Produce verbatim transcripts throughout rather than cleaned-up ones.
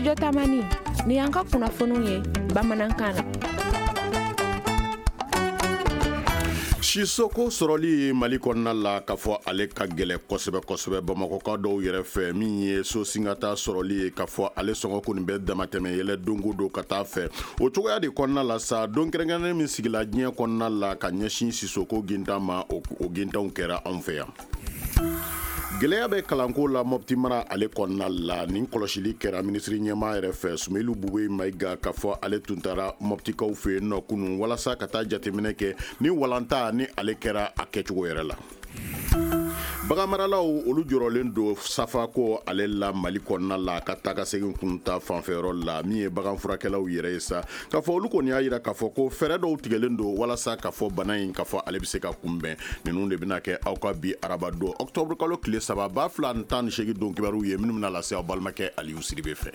Studio Tamani, ni y'an ka kunnafoniw ye bamanankan na. Sisoko sɔrɔli Mali kɔnɔna la k'a fɔ ale ka gɛlɛn kosɛbɛ kosɛbɛ Bamakɔka dɔw yɛrɛ fɛ, min ye so singata sɔrɔli ye k'a fɔ ale sɔngɔ kɔni bɛ damatɛmɛ yɛlɛ don o don ka taa fɛ. O cogoya de kɔnɔna la sa, don kɛrɛnkɛrɛnnen min sigila diɲɛ kɔnɔna la ka ɲɛsin sisoko gintan ma, o gintanw kɛra anw fɛ yan. Gɛlɛya bɛ kalanko la Mopti mara ale kɔnɔna la. Nin kɔlɔsili kɛra minisiri ɲɛmaa yɛrɛ fɛ, Sumeyilu Bubɛyi Mayiga, k'a fɔ ale tun taara Moptikaw fɛ yen nɔ kunun walasa ka taa jateminɛ kɛ ni walanta ni ale kɛra a kɛcogo yɛrɛ la. Baganmaralaw olu jɔrɔlen don safako ale la Mali kɔnɔna la ka taa ka segin kunta fanfɛyɔrɔ la. Min ye bagan furakɛlaw yɛrɛ ye sa, k'a fɔ olu kɔni y'a jira k'a fɔ ko fɛɛrɛ dɔw tigɛlen don walasa k'a fɔ bana in k'a fɔ ale bɛ se ka kunbɛn. Ninnu de bɛna kɛ aw ka bi araba don octobre kalo tile saba ba fila ni tan ni seegin don kibaruw ye, minnu bɛna lase aw balimakɛ Aliyu Sidibe fɛ.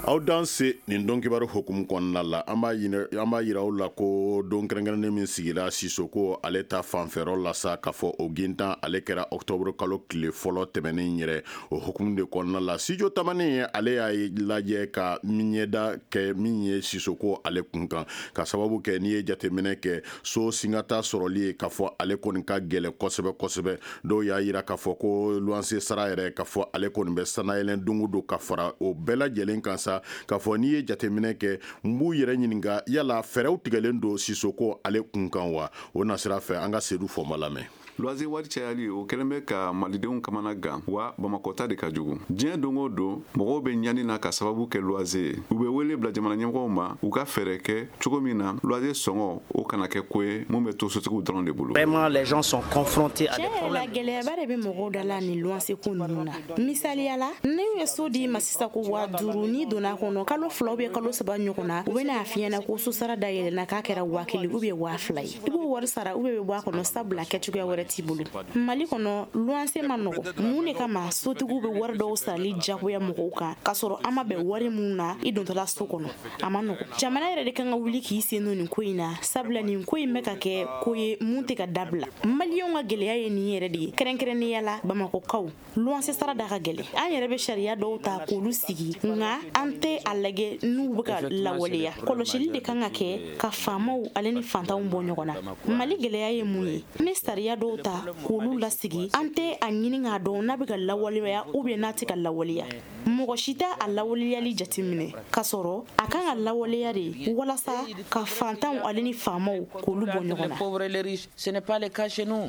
Aw dan se nin don kibaru hukumu kɔnɔna la, an b'a an b'a yira aw la ko don kɛrɛnkɛrɛnnen min sigira sisoko ale ta fanfɛyɔrɔ la sa, k'a fɔ o gintan ale kɛra octobre kalo tile fɔlɔ tɛmɛnen yɛrɛ. O hukumu de kɔnɔna la, Studio Tamani ale y'a lajɛ ka ɲɛda kɛ min ye sisoko ale kun kan, ka sababu kɛ n'i ye jateminɛ kɛ so singata sɔrɔli ye k'a fɔ ale kɔni ka gɛlɛn kosɛbɛ kosɛbɛ. Dɔw y'a yira k'a fɔ ko luwanse sara yɛrɛ k'a fɔ ale kɔni bɛ sanayɛlɛn don o don ka fara o bɛɛ lajɛlen kan sa, k'a fɔ n'i ye jateminɛ kɛ, n b'u yɛrɛ ɲininka yala fɛɛrɛw tigɛlen don sisoko ale kun kan wa? O nasira fɛ, an ka Sedu Fɔnba lamɛn. Luwanse wari cayali, o kɛlen bɛ ka malidenw kamana gan, wa Bamakɔ ta de ka jugu. Diɲɛ don o don, mɔgɔw bɛ ɲani na ka sababu kɛ luwanse ye. U bɛ wele bila jamana ɲɛmɔgɔw ma, u ka fɛɛrɛ kɛ cogo min na luwanse sɔngɔ o kana kɛ ko ye mun bɛ to sotigiw dɔrɔn de bolo. Vraiment, les gens sont confrontés à des Tiɲɛ yɛrɛ la, gɛlɛyaba de bɛ mɔgɔw da la nin luwanse ko ninnu na. Misaliya la, n'u ye so d'i ma sisan ko waa duuru, n'i donna kɔnɔ kalo fila ou bien kalo saba ɲɔgɔn na, u bɛna f'i ɲɛna ko sosara dayɛlɛnna, k'a kɛra waa kelen ou bien waa fila ye. I b'o wari sara ou bien bɛ bɔ a kɔnɔ, sabula kɛcogoya wɛrɛ t'i bolo. Mali kɔnɔ, luwanse ma nɔgɔ. Mun de kama sotigiw bɛ wari dɔw sarali jagoya mɔgɔw kan, k'a sɔrɔ an ma bɛn wari mun na i dontɔla so kɔnɔ? A ma nɔgɔ. Jamana yɛrɛ de kan ka wuli k'i sen don nin ko in na, sabula nin ko in bɛ ka kɛ ko ye mun tɛ ka dabila. Maliyɛnw ka gɛlɛya ye nin yɛrɛ de ye, kɛrɛnkɛrɛnnenya la Bamakɔkaw. Luwanse sara da ka gɛlɛn. An yɛrɛ bɛ sariya dɔw ta k'olu sigi, nka an tɛ a lajɛ n'u bɛ ka lawaleya. Kɔlɔsili de kan ka kɛ ka faamaw ale ni fantanw bɔ ɲɔgɔn na. Mali gɛlɛya ye mun ye? N bɛ sariya dɔw ta k'olu lasigi, an tɛ a ɲini k'a dɔn n'a bɛ ka lawaleya ou bien n'a tɛ ka lawaleya. Mɔgɔ si tɛ a lawaleyali jateminɛ, k'a sɔrɔ a kan ka lawaleya de walasa ka fantanw ale ni faamaw k'olu bɔ ɲɔgɔn na.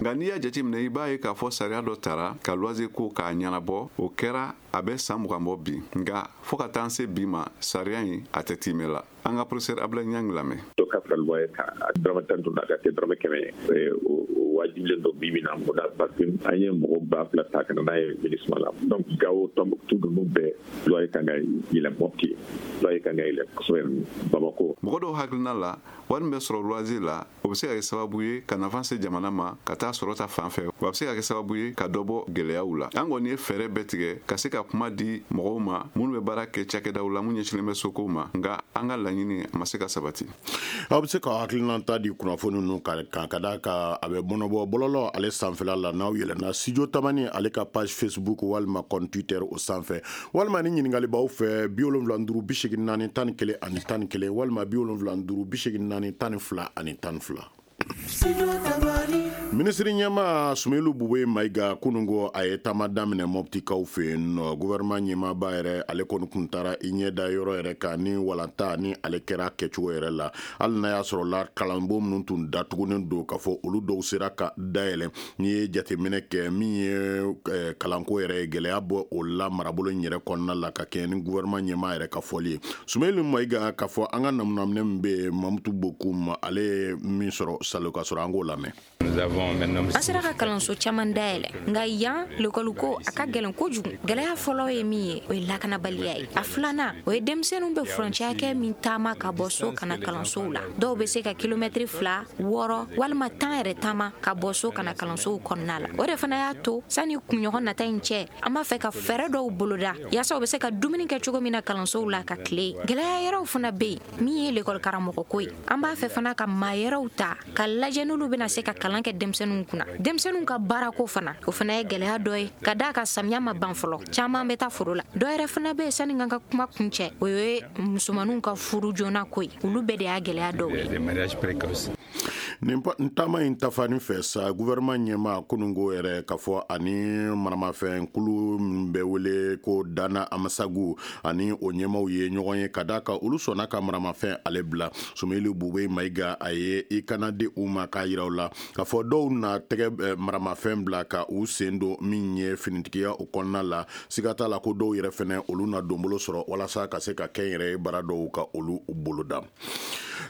Nka n'i y'a jateminɛ, i b'a ye k'a fɔ sariya dɔ tara ka luwanse ko k'a ɲɛnabɔ, o kɛra a bɛ san mugan bɔ bi, nka fɔɔ ka taa se bi ma, sariya in a tɛ timɛ la. An ka professeur Abdoulaye Niang lamɛn. Dɔ ka fara luwanse kan, a dɔrɔmɛ tan duuru, a ka kɛ dɔrɔmɛ kɛmɛ ye, o wajibilen don bi bi na mun na? Parce que an ye mɔgɔ ba fila ta ka na n'a ye MINUSMA la. Donc Gawo, Tɔnbukutu ninnu bɛɛ, luwanse kan ka yɛlɛ. Mɔpti, luwanse kan ka yɛlɛ kosɛbɛ. Bamakɔ. Mɔgɔ dɔw hakilina la, wari min bɛ sɔrɔ luwanse la, o bɛ se ka kɛ sababu ye ka nafa se jamana ma ka taa sɔrɔ ta fan fɛ, wa a bɛ se ka kɛ sababu ye ka dɔ bɔ gɛlɛyaw la. An kɔni ye fɛɛrɛ bɛɛ tigɛ ka se ka kuma di mɔgɔw ma minnu bɛ baara kɛ cakɛdaw la mun ɲɛsinnen bɛ sokow ma, nka an ka laɲini a ma se ka sabati. Aw bɛ se ka hakilinata di kunnafoni ninnu kan, ka d'a kan a bɛ bɔnɔbɔ bɔlɔlɔ ale sanfɛla la. N'aw yɛlɛnna Studio Tamani ale ka page Facebook walima compte Twitter o sanfɛ, walima ni ɲininkali b'aw fɛ, bi wolonwula duuru bi seegin naani tan ni kelen ani tan ni kelen, walima bi wolonwula duuru bi seegin naani tan ni fila ani tan ni fila. Minisiri ɲɛma Sumeyilu Bubɛyi Mayiga, kununko a ye taama daminɛ Mɔptikaw fɛ yen nɔ. Gouvernement ɲɛmaaba yɛrɛ, ale kɔni tun taara i ɲɛ da yɔrɔ yɛrɛ kan ni walanta ni ale kɛra kɛcogo yɛrɛ la. Hali n'a y'a sɔrɔ la kalanbon minnu tun datugunen don, k'a fɔ olu dɔw sera ka dayɛlɛ, n'i ye jateminɛ kɛ min ye kalanko yɛrɛ ye, gɛlɛya bɔ o la marabolo in yɛrɛ kɔnɔna la, ka kɛɲɛ ni gouvernement ɲɛmaa yɛrɛ ka fɔli ye. Sumeyilu Mayiga, k'a fɔ an ka namunaminɛ min bɛ yen, Mamutu Bokum, ale ye min sɔrɔ salo ka sɔrɔ, an k'o lamɛn. An sera ka kalanso caman dayɛlɛ, nka yan lekɔliko a ka gɛlɛn kojugu. Gɛlɛya fɔlɔ ye min ye, o ye lakanabaliya ye. A filanan, o ye denmisɛnninw bɛ furancɛ hakɛ min taama ka bɔ so ka na kalansow la. Dɔw bɛ se ka kilomɛtiri fila, wɔɔrɔ walima tan yɛrɛ taama ka bɔ so ka na kalansow kɔnɔna la. O de fana y'a to sani kunɲɔgɔn nata in cɛ, an b'a fɛ ka fɛɛrɛ dɔw boloda yaasa u bɛ se ka dumuni kɛ cogo min na kalansow la ka tile. Gɛlɛya yɛrɛw fana bɛ yen, min ye lekɔli karamɔgɔko ye. An b'a fɛ fana ka maa yɛrɛw ta ka lajɛ n'olu bɛna se ka kalan kɛ denmisɛnninw kunna. Denmisɛnninw ka baarako fana, o fana ye gɛlɛya dɔ ye, ka d'a kan samiya ma ban fɔlɔ, caman bɛ taa foro la. Dɔ yɛrɛ fana bɛ yen sani n ka kuma kuncɛ, o ye musomaninw ka furu joona ko ye, olu bɛɛ de y'a gɛlɛya dɔw ye. Nin taama in tafani fɛ sa, gouvernement ɲɛmaa kununko yɛrɛ k'a fɔ ani maramafɛn kulu min bɛ wele ko Dana Amasagu ani o ɲɛmaaw ye ɲɔgɔn ye, ka d'a kan olu sɔnna ka maramafɛn ale bila. Soumeylou Boubèye Maïga a ye i kana di u ma k'a yira u la k'a fɔ dɔw na tɛgɛ maramafɛn bila ka u sen don min ye finitigiya o kɔnɔna la. Siga t'a la ko dɔw yɛrɛ fɛnɛ olu na donbolo sɔrɔ walasa ka se ka kɛnyɛrɛye ye baara dɔw ka olu boloda.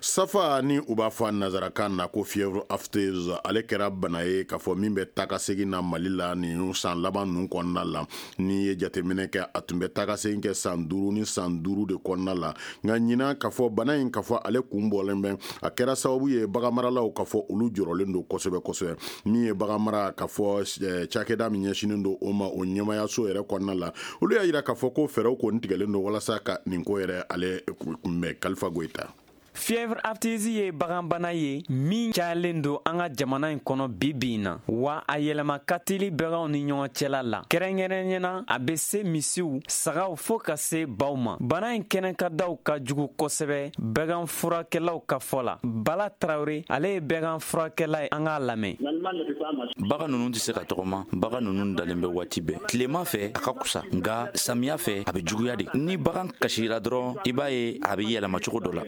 Safa ni u b'a fɔ a nanzarakan na ko fièvre aphteuse, ale kɛra bana ye k'a fɔ min bɛ taa ka segin na Mali la nin san laban ninnu kɔnɔna la. N'i ye jateminɛ kɛ, a tun bɛ taa ka segin kɛ san duuru ni san duuru de kɔnɔna la, nka ɲinan k'a fɔ bana in k'a fɔ ale kun bɔlen bɛ, a kɛra sababu ye baganmaralaw k'a fɔ olu jɔrɔlen don kosɛbɛ kosɛbɛ. Min ye baganmara k'a fɔ cakɛda min ɲɛsinnen don o ma, o ɲɛmayaso yɛrɛ kɔnɔna la, olu y'a jira k'a fɔ ko fɛɛrɛw kɔni tigɛlen don walasa ka nin ko yɛrɛ ale kunbɛn. Kalifa Goyita. Fièvre aphteuse ye baganbana ye min cayalen don an ka jamana in kɔnɔ bi bi in na, wa a yɛlɛma ka teli baganw ni ɲɔgɔn cɛla la. Kɛrɛnkɛrɛnnenya a bɛ se misiw, sagaw fo ka se baw ma. Bana in kɛnɛkadaw ka jugu kosɛbɛ bagan furakɛlaw ka fɔ la. Bala Tarawele, ale ye bagan furakɛla ye, an k'a lamɛn. Bagan ninnu tɛ se ka tɔgɔma, bagan ninnu dalen bɛ waati bɛɛ. Tilema fɛ a ka kusa, nka samiya fɛ a bɛ juguya de. Ni bagan kasira dɔrɔn, i b'a ye a bɛ yɛlɛma cogo dɔ la.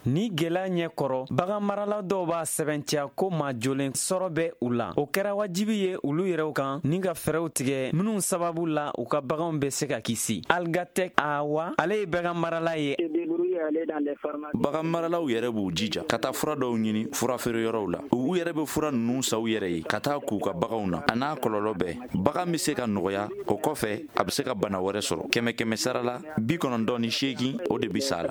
Ni gɛlɛya ɲɛkɔrɔ, bagan marala dɔw b'a sɛbɛntiya ko maa jolen sɔrɔ bɛ u la. O kɛra wajibi ye olu yɛrɛw kan ni ka fɛɛrɛw tigɛ minnu sababu la u ka baganw bɛ se ka kisi. Algatec Awa, ale ye bagan marala ye. Bagan maralaw yɛrɛ b'u jija ka taa fura dɔw ɲini furafeere yɔrɔw la. U yɛrɛ bɛ fura ninnu san u yɛrɛ ye ka taa k'u ka baganw na. A n'a kɔlɔlɔ bɛɛ, bagan bɛ se ka nɔgɔya, o kɔfɛ a bɛ se ka bana wɛrɛ sɔrɔ. Kɛmɛ kɛmɛ sara la, bi kɔnɔntɔn ni seegin o de bɛ sa la.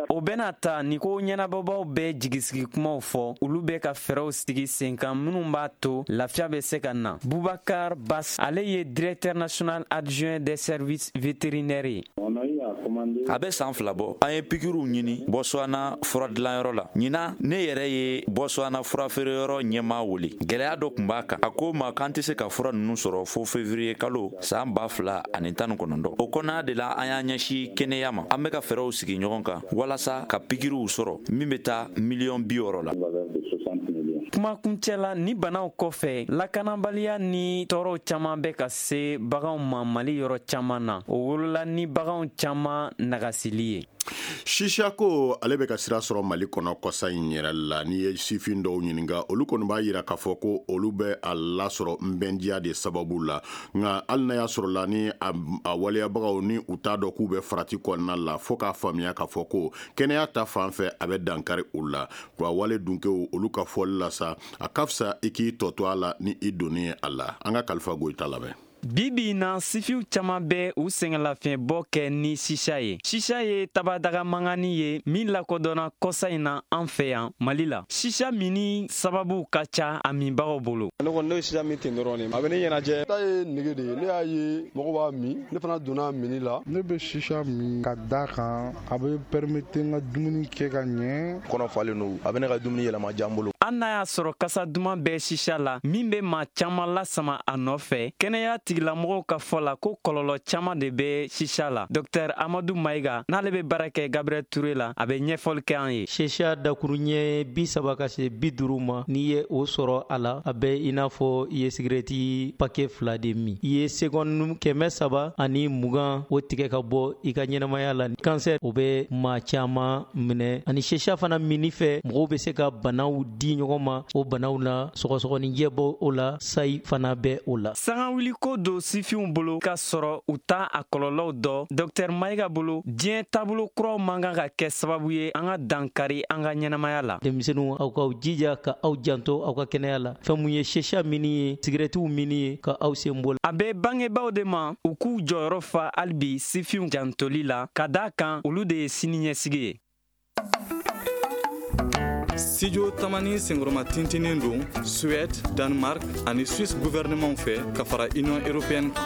O bɛna ta ni ko ɲɛnabɔbaw bɛɛ jigisigi kumaw fɔ, olu bɛ ka fɛɛrɛw sigi sen kan minnu b'a to lafiya bɛ se ka na. Boubacar Bass, ale ye directeur national adjoint des services vétérinaires ye. A bɛ san fila bɔ, an ye pikiriw ɲini Botswana fura dilanyɔrɔ la. Ɲinan ne yɛrɛ ye Botswana furafeereyɔrɔ ɲɛmaa wele. Gɛlɛya dɔ tun b'a kan, a ko ma k'an tɛ se ka fura ninnu sɔrɔ fo février kalo san ba fila ani tan ni kɔnɔntɔn. O kɔnɔna de la an y'an ɲɛsin kɛnɛya ma. An bɛ ka fɛɛrɛw sigi ɲɔgɔn kan walasa ka pikiriw sɔrɔ min bɛ taa miliyɔn bi wɔɔrɔ la. Kumakuncɛ la, ni banaw kɔfɛ, lakanabaliya ni tɔɔrɔw caman bɛ ka se baganw ma Mali yɔrɔ caman na. O wolola ni baganw caman nagasili ye. Sisa ko ale bɛ ka sira sɔrɔ Mali kɔnɔ kɔsa in yɛrɛ la. N'i ye sifin dɔw ɲininka, olu kɔni b'a jira k'a fɔ ko olu bɛ a lasɔrɔ nbɛndiya de sababu la. Nka hali n'a y'a sɔrɔ la ni a waleyabagaw ni u t'a dɔn k'u bɛ farati kɔnɔna la, fo k'a faamuya k'a fɔ ko kɛnɛya ta fan fɛ a bɛ dankari u la. Wa wale dunkew olu ka fɔli la sa, a ka fisa i k'i tɔ to a la ni i donni ye a la. An ka Kalifa Goyita lamɛn. Bi bi in na, sifiw caman bɛ u sɛgɛnlafiɲɛbɔ kɛ ni sisa ye. Sisa ye tabadaga mangani ye min lakodɔnna kɔsa in na an fɛ yan Mali la. Sisa minni sababu ka ca a minbagaw bolo. Ne kɔni ne ye sisa min ten dɔrɔn de, a bɛ ne ɲɛnajɛ. Ta ye nege de ye, ne y'a ye mɔgɔw b'a min, ne fana donna a minni la. Ne bɛ sisa min ka da kan, a bɛ permettre n ka dumuni kɛ ka ɲɛ. Kɔnɔ falen don, a bɛ ne ka dumuni yɛlɛma diya n bolo. Hali n'a y'a sɔrɔ kasa duman bɛ sisa la min bɛ maa caman lasama a nɔfɛ, kɛnɛya tigilamɔgɔw ka fɔ la ko kɔlɔlɔ caman de bɛ sisa la. Docteur Amadou Maïga, n'ale bɛ baara kɛ Gabriel Touré la, a bɛ ɲɛfɔli kɛ an ye. Sisa dakuruɲɛ bi saba ka se bi duuru ma, n'i ye o sɔrɔ a la, a bɛ i n'a fɔ i ye sigirɛti paquet fila de min. I ye seconde kɛmɛ saba ani mugan o tigɛ ka bɔ i ka ɲɛnamaya la. Cancer o bɛ maa caman minɛ, ani sisa fana minni fɛ mɔgɔw bɛ se ka banaw di ɲɔgɔn ma. O banaw na, sɔgɔsɔgɔninjɛ bɔ o la, sayi fana bɛ o la. Sangawuli ko don sifinw bolo k'a sɔrɔ u t'a a kɔlɔlɔw dɔn. Docteur Maïga bolo, diɲɛ taabolo kuraw man kan ka kɛ sababu ye an ka dankari an ka ɲɛnamaya la. Denmisɛnninw, aw k'aw jija ka aw janto aw ka kɛnɛya la. Fɛn mun ye sisa minni ye, sigirɛtiw minni ye, ka aw sen bɔ. A bɛ bangebaaw de ma u k'u jɔyɔrɔ fa hali bi sifinw jantoli la, ka d'a kan olu de ye sini ɲɛsigi ye. Studio Tamani senkɔrɔma tintinen don Suède, Danemark ani Suisse gouvernement fɛ ka fara Union européenne kan.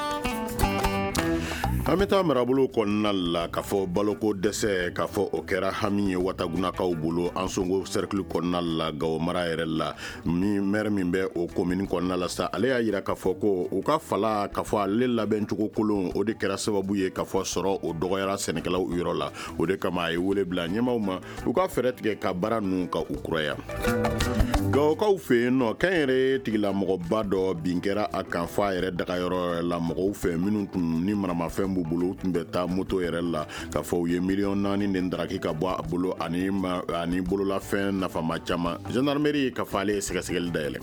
An bɛ taa marabolo kɔnɔna la k'a fɔ baloko dɛsɛ k'a fɔ o kɛra hami ye Watagunakaw bolo Ansongo cercle kɔnɔna la Gawo mara yɛrɛ la. Min maire min bɛ o commune kɔnɔna la sa, ale y'a jira k'a fɔ ko u ka fala k'a fɔ ale labɛncogo kolon o de kɛra sababu ye k'a fɔ sɔrɔ o dɔgɔyara sɛnɛkɛlaw yɔrɔ la. O de kama a ye wele bila ɲɛmaaw ma u ka fɛɛrɛ tigɛ ka baara ninnu ka u kuraya. Gawokaw fɛ yen nɔ, kɛnyɛrɛye tigilamɔgɔba dɔ bin kɛra a kan f'a yɛrɛ dagayɔrɔ la mɔgɔw fɛ minnu tun ni maramafɛn b'u bolo, u tun bɛ taa moto yɛrɛ la k'a fɔ u ye miliyɔn naani de daraki ka bɔ a bolo ani ani bololafɛn nafama caman. Gendarmerie k'a fɔ ale ye sɛgɛsɛgɛli dayɛlɛ.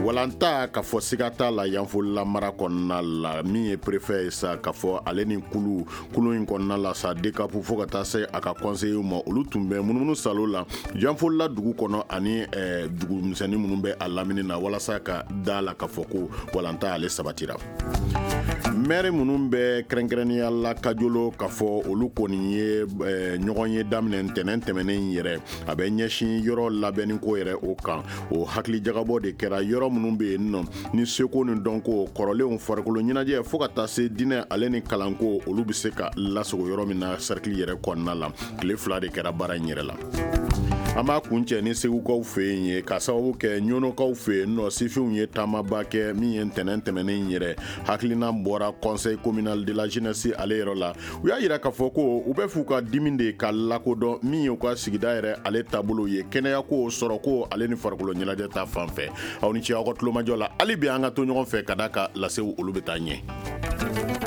Walanta k'a fɔ siga t'a la Yanfolila mara kɔnɔna la, min ye préfet ye sa k'a fɔ ale ni kulu kulu in kɔnɔna la sa D C A P fo ka taa se a ka conseiller ma, olu tun bɛ munumunu salo la Yanfolila dugu kɔnɔ ani dugu misɛnnin minnu bɛ a lamini na walasa ka da la k'a fɔ ko walanta ale sabatira. Maire minnu bɛ kɛrɛnkɛrɛnnenya la Kajolo k'a fɔ olu kɔni ye ɲɔgɔn ye daminɛ ntɛnɛn tɛmɛnen yɛrɛ, a bɛ ɲɛsin yɔrɔ labɛnni ko yɛrɛ o kan. O hakilijagabɔ de kɛra yɔrɔ minnu bɛ yen nɔ ni seko ni dɔnko kɔrɔlenw, farikolo ɲɛnajɛ fo ka taa se diinɛ ale ni kalanko, olu bɛ se ka lasago yɔrɔ min na cercle yɛrɛ kɔnɔna la. Tile fila de kɛra baara in yɛrɛ la. An b'a kuncɛ ni Segukaw fɛ yen ye, ka sababu kɛ Ɲɔnɔkaw fɛ yen nɔ, sifinw ye taamaba kɛ min ye ntɛnɛn tɛmɛnen yɛrɛ. Hakilina bɔra conseil communal de la jeunesse ale yɔrɔ la. U y'a jira k'a fɔ ko u bɛ f'u ka dimi de ka lakodɔn min ye u ka sigida yɛrɛ ale taabolo ye, kɛnɛyako, sɔrɔko ale ni farikolo ɲɛnajɛ ta fan fɛ. Aw ni ce aw ka tulomajɔ la. Hali bi an ka to ɲɔgɔn fɛ ka da ka lasew olu bɛ taa ɲɛ.